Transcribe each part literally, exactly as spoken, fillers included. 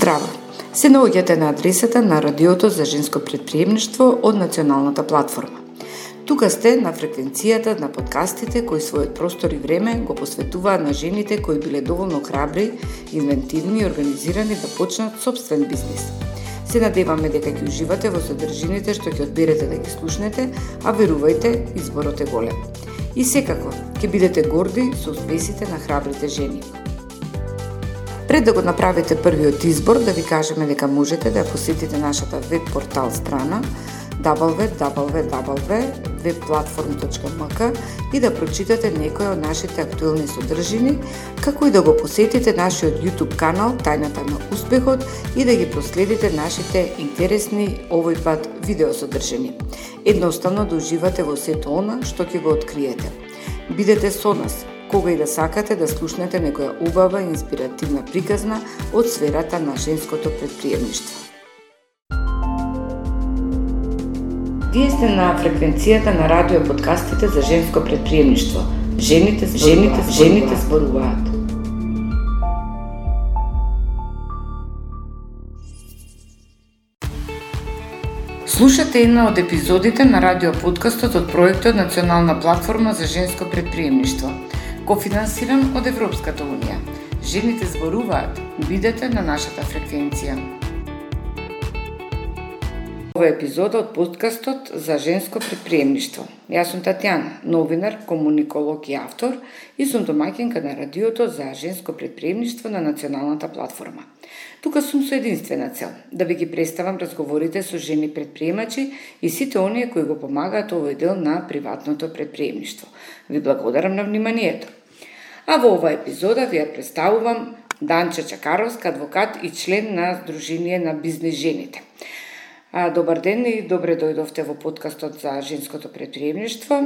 Здраво! Се наоѓате на адресата на Радиото за женско претприемништво од Националната платформа. Тука сте на фреквенцијата на подкастите кои својот простор и време го посветуваат на жените кои биле доволно храбри, инвентивни и организирани да почнат собствен бизнис. Се надеваме дека ќе уживате во содржините што ќе одберете да ги слушнете, а верувајте, изборот е голем. И секако, ќе бидете горди со успесите на храбрите жени. Пред да го направите првиот избор, да ви кажеме дека можете да посетите нашата веб портал страна дабл ю дабл ю дабл ю точка веб платформ точка ем ка и да прочитате некои од нашите актуелни содржини, како и да го посетите нашиот YouTube канал Тајната на успехот и да ги проследите нашите интересни овој пат видеосодржини. Едноставно да уживате во сето она што ќе го откриете. Бидете со нас кога и да сакате да слушнете некоја убава и инспиративна приказна од сферата на женското претприемништво. Вие сте на фреквенцијата на радио подкастите за женско претприемништво. Жените, жените, жените зборуваат. Слушате една од епизодите на радио подкастот од проектот Национална платформа за женско претприемништво, кофинансиран од Европската унија. Жените зборуваат. Бидете на нашата фреквенција. Ова е епизода од подкастот за женско претприемништво. Јас сум Татјана, новинар, комуниколог и автор и сум домаќинка на радиото за женско претприемништво на Националната платформа. Тука сум со единствена цел, да ви ги представам разговорите со жени претприемачи и сите оние кои го помагаат овој дел на приватното претприемништво. Ви благодарам на вниманието. А во оваа епизода ви ја представувам Данча Чакаровска, адвокат и член на Сдружение на бизнес жените. А, добар ден и добре дојдовте во подкастот за женското претприемништво.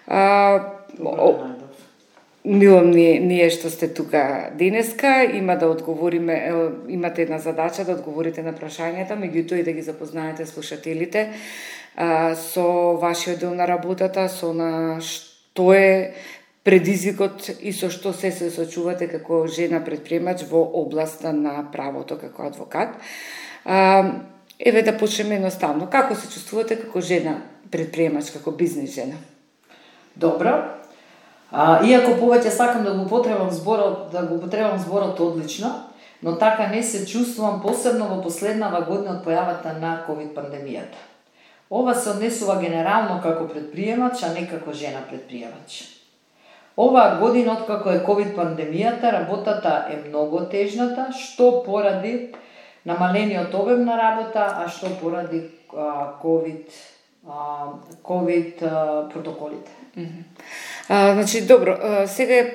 А, Мило ние, ние што сте тука денеска, има да одговориме, имате една задача да одговорите на прашањата, меѓутоа и да ги запознаете слушателите а, со вашиот дел на работата, со на што е предизвикот и со што се се соочувате како жена претприемач во областа на правото како адвокат. А, еве да почнеме едноставно. Како се чувствувате како жена претприемач, како бизнес жена? Добро. А, иако повеќе сакам да го употребам зборот, да го употребам зборот одлично, но така не се чувствувам посебно во последнава година од појавата на ковид пандемијата. Ова се однесува генерално како претприемач, а не како жена претприемач. Оваа година, откако е ковид пандемијата, работата е многу тежната, што поради намалениот обем на работа, а што поради а, ковид, а, ковид а, протоколите. А, значи, добро, а, сега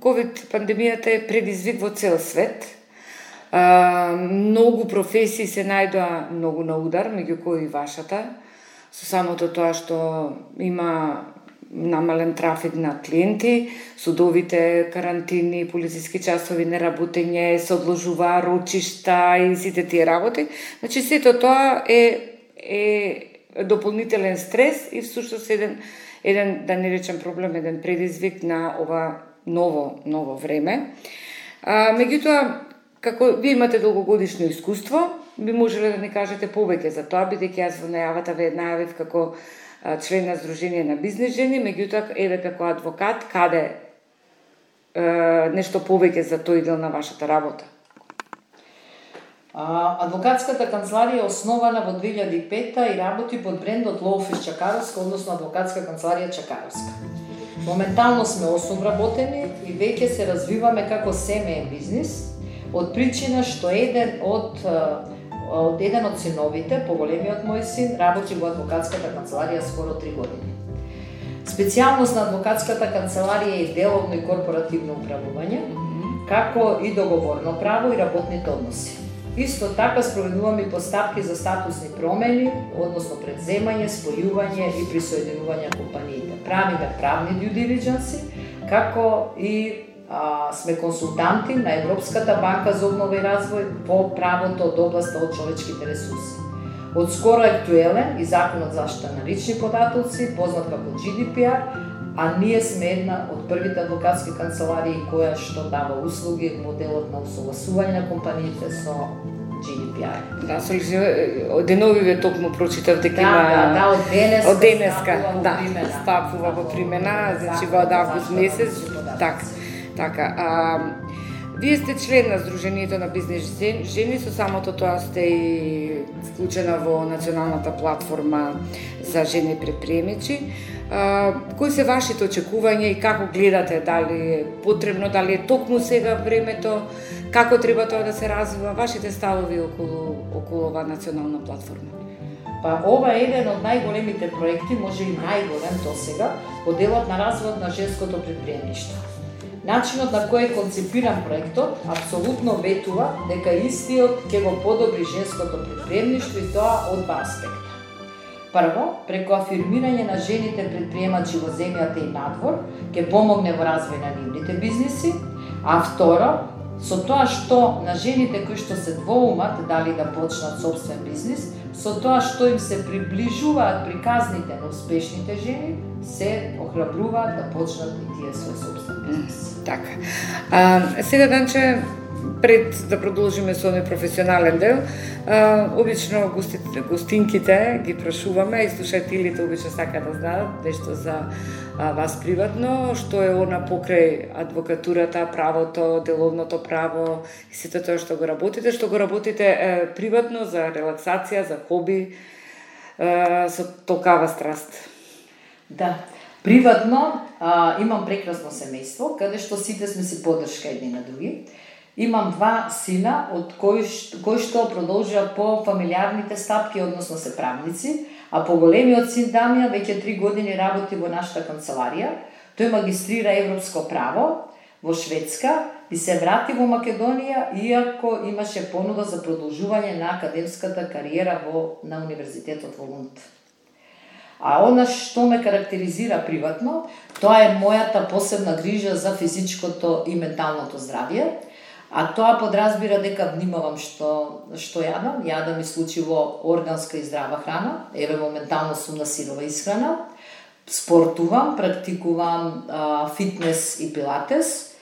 ковид пандемијата е предизвик во цел свет. А, многу професии се најдоа многу на удар, меѓу кои и вашата, со самото тоа што има намален трафик на клиенти, судовите карантини, полициски часови, неработење, се одложува рочишта и сите тие работи. Значи, сето тоа е, е дополнителен стрес и всушност еден еден, да не речем проблем, еден предизвик на ова ново, ново време. А, меѓутоа, како вие имате долгогодишно искуство, би можеле да ни кажете повеќе за тоа, бидејќи јас во најавата ве најавив како а, член на Сдружение на бизнес жени, меѓутоа, еве како адвокат, каде е, нешто повеќе за тој дел на вашата работа? Адвокатската канцеларија е основана во две илјади и пета и работи под брендот Law Office Чакаровска, односно Адвокатска канцеларија Чакаровска. Моментално сме осум работени и веќе се развиваме како семеен бизнис, од причина што еден од, од еден од синовите, поголемиот мој син, работи во Адвокатската канцеларија скоро три години. Специјалност на Адвокатската канцеларија е деловно и корпоративно управување, како и договорно право и работните односи. Исто така спроведуваме и постапки за статусни промени, односно предземање, спојување и присоединување компаниите. Правиме правни due diligence, како и а, сме консултанти на Европската банка за обнова и развој во правото од областа од човечките ресурси. Од скоро е актуелен и Законот за заштита на лични податоци, познат како Джи Ди Пи Ар, а ние сме една од првите адвокатски канцеларии која што дава услуги, моделот на усогласување на компаниите со Джи Ди Пи Ар. Да, со деновиве токму прочитав дека да, има да, да, од денеска, од денеска да, примена. стапува во примена, значи во август месец, така, така. А, вие сте член на Сдруженијето на бизнес жени, со самото тоа сте и вклучена во националната платформа за жени предприемачи. А, кои се вашите очекувања и како гледате, дали е потребно, дали е токму сега времето, како треба тоа да се развива, вашите ставови околу, околу оваа национална платформа? Па ова е еден од најголемите проекти, може и најголем до сега, во делот на развојот на женското предприемништво. Начинот на кој е концепиран проектот апсолутно ветува дека истиот ќе го подобри женското предприемништво и тоа од два аспекта. Прво, преку афирмирање на жените предприемачи во земјата и надвор, ќе помогне во развој на нивните бизниси, а второ, со тоа што на жените кои што се двоумат дали да почнат собствен бизнис, со тоа што им се приближуваат приказните на успешните жени, се охрабруваат да почнат и тие свој собствен бизнис. Така. А, сега, Данче, пред да продолжиме со овој професионален дел, а, обично гостите, гостинките ги прашуваме и слушателите обично сакаат да знаат нешто за а, вас приватно, што е она покрај адвокатурата, правото, деловното право и сето тоа што го работите, што го работите е, приватно за релаксација, за хоби, е, со толкава страст. Да. Приватно а, имам прекрасно семејство, каде што сите сме си поддршка едни на други. Имам два сина, од кои, кои што продолжува по фамилиарните стапки, односно се правници, а поголемиот син Дамјан веќе три години работи во нашата канцеларија. Тој магистрира европско право во Шведска и се врати во Македонија, иако имаше понуда за продолжување на академската кариера во, на Универзитетот во Лунд. А она што ме карактеризира приватно, тоа е мојата посебна грижа за физичкото и менталното здравје, а тоа подразбира дека внимавам што што јадам, јадам исклучиво органска и здрава храна, еве моментално сум на сирова исхрана, спортувам, практикувам а, фитнес и пилатес,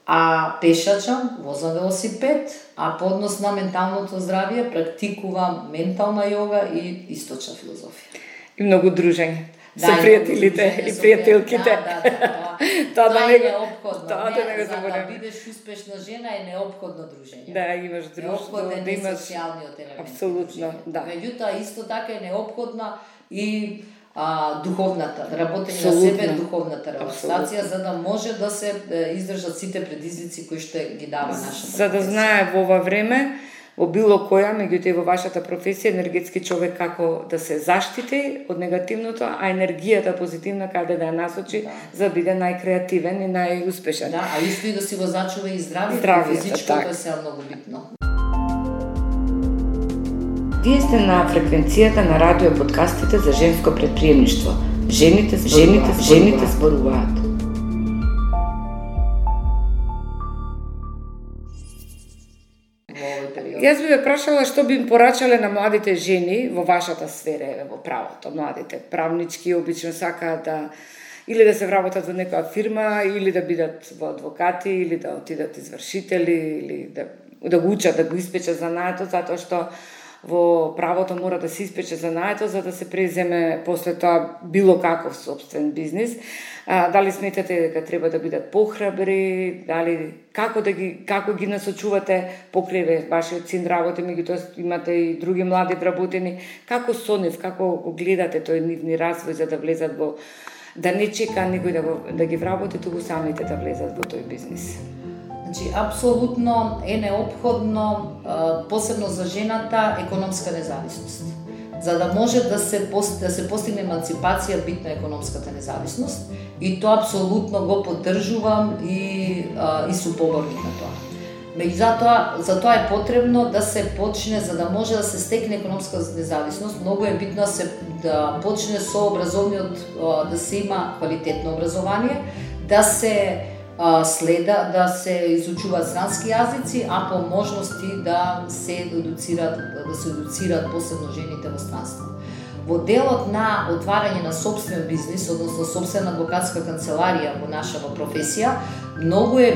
а пешачам, возам велосипед, а по однос на менталното здравје практикувам ментална јога и источна филозофија. И многу дружење да, со пријателите и пријателките. Да, да, да, тоа тоа да е неопходно. Тоа да не го За да забораваме. бидеш успешна жена е неопходно дружење. Да, имаш друштво, Неопходен да е имаш социјалниот елемент. Апсолутно, да. Меѓутоа исто така е неопходна и а, духовната, работење на Апсолутно. себе, духовната релаксација, за да може да се е, издржат сите предизвици кои што ги дава нашата. За да знае во ова време, во било која, меѓутоа и во вашата професија, енергетски човек како да се заштити од негативното, а енергијата позитивна каде да ја насочи, да, за да биде најкреативен и најуспешен. Да, а исто и да си го зачува и здравјето, Здравјето, физичкото така. е сега многу битно. Вие сте на фреквенцијата на радио подкастите за женско предприемништво. Жените, жените, жените зборуваат. Јас би ве прашала што би им порачале на младите жени во вашата сфера, еве во правото. Младите правнички обично сакаат да или да се вработат во некоја фирма, или да бидат во адвокати, или да отидат извршители, или да да го учат, да го испечат занаето, затоа што во правото мора да се испече занаето за да се преземе после тоа било каков собствен бизнис. А, дали сметате дека треба да бидат похрабри, дали како да ги како ги насочувате покрај вашиот син работи, меѓутоа имате и други млади вработени, како со нив, како го гледате тој нивни развој за да влезат во да не чека никој да го да ги вработи, туку самите да влезат во тој бизнис. Значи, апсолутно е неопходно, посебно за жената, економска независност. За да може да се, да се постигне еманципација, битна економската независност, и тоа апсолутно го поддржувам и, и сум поборник на тоа. Меѓутоа, за тоа е потребно да се почне, за да може да се стекне економска независност, многу е битно да се да почне со образовниот, да се има квалитетно образование, да се следа, да се изучуваат странски јазици, а по можности да се едуцираат, да се едуцираат посебно жените во странство. во делот на отварање на собствен бизнис, односно собствена адвокатска канцеларија во нашава професија, многу е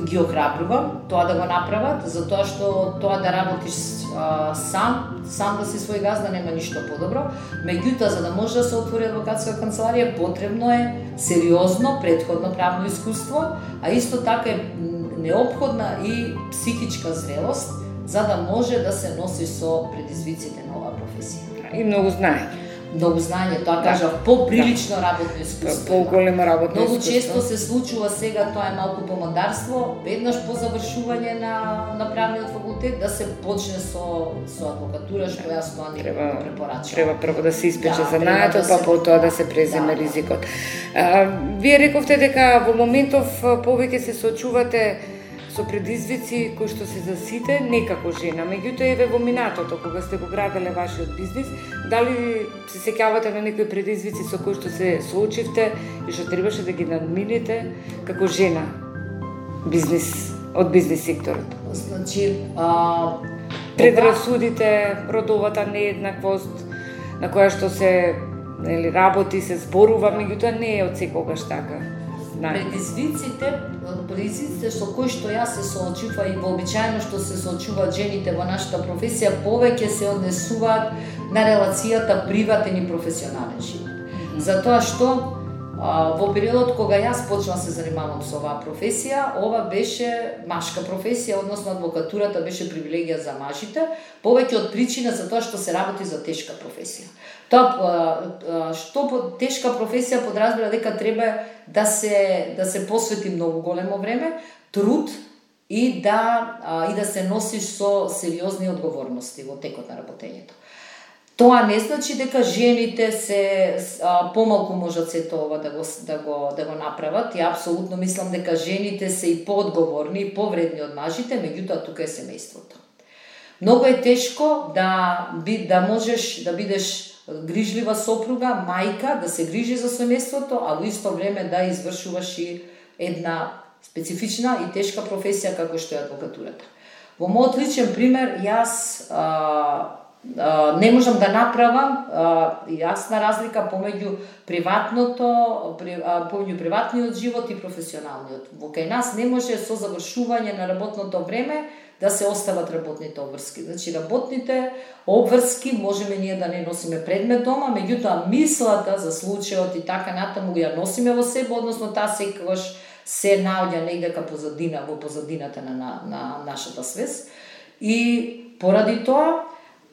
ги охрабрувам тоа да го направат, затоа што тоа да работиш а, сам, сам да си свој газда нема ништо подобро. Меѓутоа, за да може да се отвори адвокатска канцеларија, потребно е сериозно претходно правно искуство, а исто така е неопходна и психичка зрелост, за да може да се носи со предизвиците на оваа професија. И многу знаење. Многу знаење, тоа кажа, да. Поприлично да. Работно искуство. По-големо работно Многу искуство. често се случува сега, тоа е малку помадарство, веднаш по завршување на, на правниот факултет, да се почне со, со адвокатура, што јас тоа не го препорачувам. Треба прво да се испече да, занаето, да па се... потоа да се преземе да, ризикот. А, вие рековте дека во моментов повеќе се соочувате со предизвици кои што се за сите, не како жена. Меѓутоа, еве во минатото, кога сте го граделе вашиот бизнис, дали се сеќавате на некои предизвици со кои што се соочивте и што требаше да ги надмините како жена бизнис, од бизнис секторот? Значи, а... предрасудите, родовата нееднаквост, на која што се нели, работи, се зборува, меѓутоа не е од секогаш така. Предизвиците, предизвиците со кои што јас се соочува и вообичаено што се соочуваат жените во нашата професија, повеќе се однесуваат на релацијата приватен и професионален живот. Затоа што а, во периодот кога јас почнав се занимавам со оваа професија, ова беше машка професија, односно адвокатурата беше привилегија за мажите, повеќе од причина за тоа што се работи за тешка професија. Тоа што тешка професија подразбира дека треба да се да се посвети многу големо време, труд и да и да се носиш со сериозни одговорности во текот на работењето. Тоа не значи дека жените се а, помалку можат сето ова да го да го да го направат. Ја апсолутно мислам дека жените се и поодговорни и повредни од мажите, меѓутоа тука е семејството. Многу е тешко да би да можеш да бидеш грижлива сопруга, мајка, да се грижи за семејството, а во исто време да извршуваш и една специфична и тешка професија како што е адвокатурата. Во мојот личен пример, јас а, а, не можам да направам а, јасна разлика помеѓу приватното, при, а, помеѓу приватниот живот и професионалниот. Во кај нас не може со завршување на работното време да се остават работните обврски. Значи, работните обврски можеме ние да не носиме предмет дома, меѓутоа мислата за случајот и така натаму ја носиме во себе, односно таа секогаш се наоѓа негде ка позадина, во позадината на, на, на нашата свест. И поради тоа,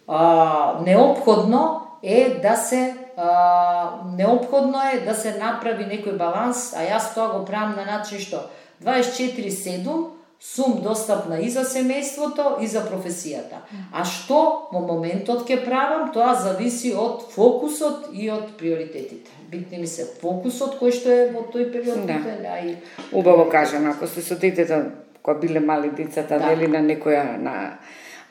а, неопходно е да се а, неопходно е да се направи некој баланс, а јас тоа го правам на начин што дваесет и четири седум сум достапна и за семејството и за професијата. А што во моментот ќе правам, тоа зависи од фокусот и од приоритетите. Битни ми се фокусот кој што е во тој период. Да. Да, и... Убаво кажано, ако сте со детето, кога биле мали децата, да. Нели на некоја на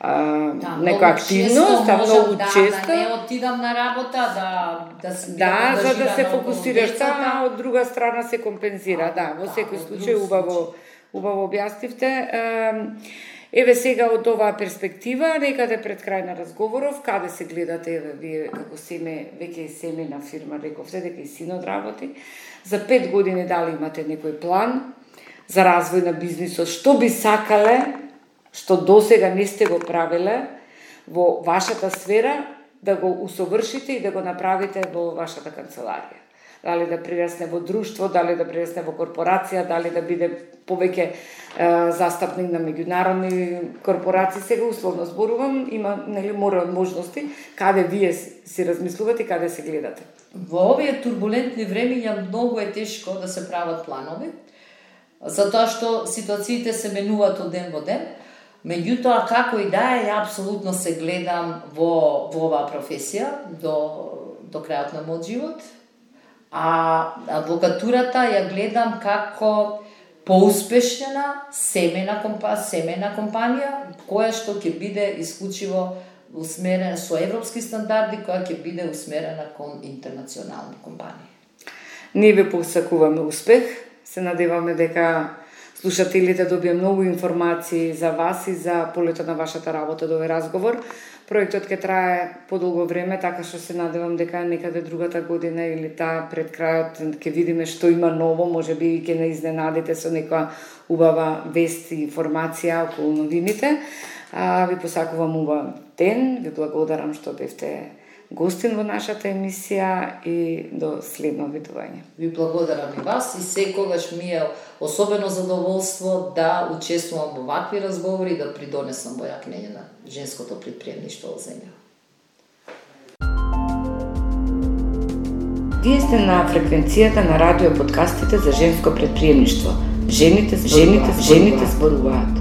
а, да, некоја активност, а многу да, често да не отидам на работа, да да се да, да за да се фокусираш, а од друга страна се компензира, а, да, во да, секој случај убаво убаво објаснивте. Еве сега од оваа перспектива, некаде пред крај на разговоров, каде се гледате, еве вие како семе, веќе е семена фирма, рековте дека и синот работи, за пет години дали имате некој план за развој на бизнисот, што би сакале, што досега не сте го правиле во вашата сфера, да го усовршите и да го направите во вашата канцеларија? Дали да прирасне во друштво, дали да прирасне во корпорација, дали да биде повеќе е, застапник на меѓународни корпорации. Сега условно зборувам, има нели море од можности, каде вие си размислувате и каде се гледате. Во овие турбулентни времиња многу е тешко да се прават планови, затоа што ситуациите се менуваат од ден во ден. Меѓутоа, како и да е, ја апсолутно се гледам во, во оваа професија до, до крајот на мојот живот. А адвокатурата ја гледам како поуспешна семена компанија, семена компанија која што ќе биде исклучиво усмерена со европски стандарди, која ќе биде усмерена кон интернационални компании. Ние ве посакуваме успех, се надеваме дека слушателите добија многу информации за вас и за полето на вашата работа до овој разговор. Проектот ќе трае подолго време, така што се надевам дека некаде другата година или таа пред крајот ќе видиме што има ново, можеби ќе не изненадите со некоја убава вест и информација околу новините. А, ви посакувам убав ден, ви благодарам што бевте гостин во нашата емисија и до следно видување. Ви благодарам и вас и секогаш ми е особено задоволство да учествувам во вакви разговори и да придонесам во јакнење на женското предприемништво во земја. Вие сте на фреквенцијата на радио подкастите за женско предприемништво. Жените, жените, жените зборуваат.